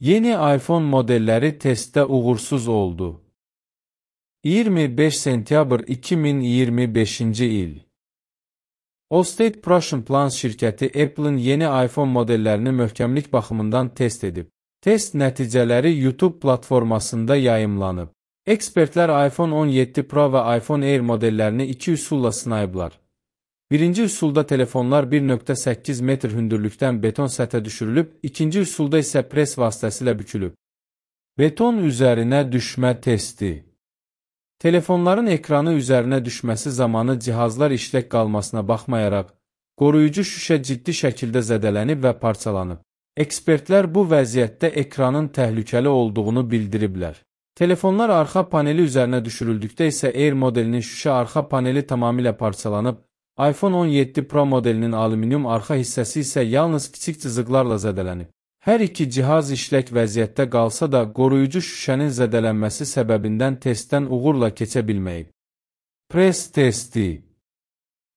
Yeni iPhone modelləri testdə uğursuz oldu. 25 sentyabr 2025-ci il. Allstate Prussian Plans şirkəti Apple'ın yeni iPhone modellərini möhkəmlik baxımından test edib. Test nəticələri YouTube platformasında yayımlanıb. Ekspertlər iPhone 17 Pro və iPhone Air modellərini iki üsulla sınayıblar. Birinci üsulda telefonlar 1.8 metr hündürlükdən beton səthə düşürülüb, ikinci üsulda isə pres vasitəsilə bükülüb. Beton üzərinə düşmə testi. Telefonların ekranı üzərinə düşməsi zamanı cihazlar işlək qalmasına baxmayaraq, qoruyucu şüşə ciddi şəkildə zədələnib və parçalanıb. Ekspertlər bu vəziyyətdə ekranın təhlükəli olduğunu bildiriblər. Telefonlar arxa paneli üzərinə düşürüldükdə isə Air modelinin şüşə arxa paneli tamamilə parçalanıb, iPhone 17 Pro modelinin alüminium arxa hissəsi isə yalnız kiçik cızıqlarla zədələnib. Hər iki cihaz işlək vəziyyətdə qalsa da, qoruyucu şüşənin zədələnməsi səbəbindən testdən uğurla keçə bilməyib. Pres testi.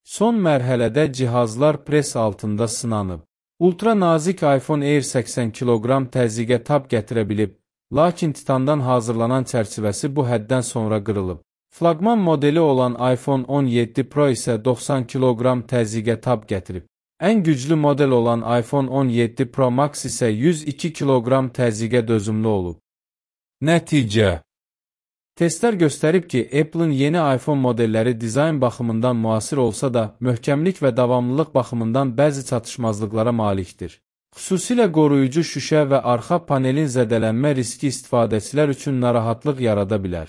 Son mərhələdə cihazlar pres altında sınanıb. Ultra nazik iPhone Air 80 kiloqram təzyiqə tab gətirə bilib, lakin titandan hazırlanan çərçivəsi bu həddən sonra qırılıb. Flaqman modeli olan iPhone 17 Pro isə 90 kiloqram təzyiqə tab gətirib. Ən güclü model olan iPhone 17 Pro Max isə 102 kiloqram təzyiqə dözümlü olub. Nəticə. Testlər göstərib ki, Apple'ın yeni iPhone modelləri dizayn baxımından müasir olsa da, möhkəmlik və davamlılıq baxımından bəzi çatışmazlıqlara malikdir. Xüsusilə qoruyucu şüşə və arxa panelin zədələnmə riski istifadəçilər üçün narahatlıq yarada bilər.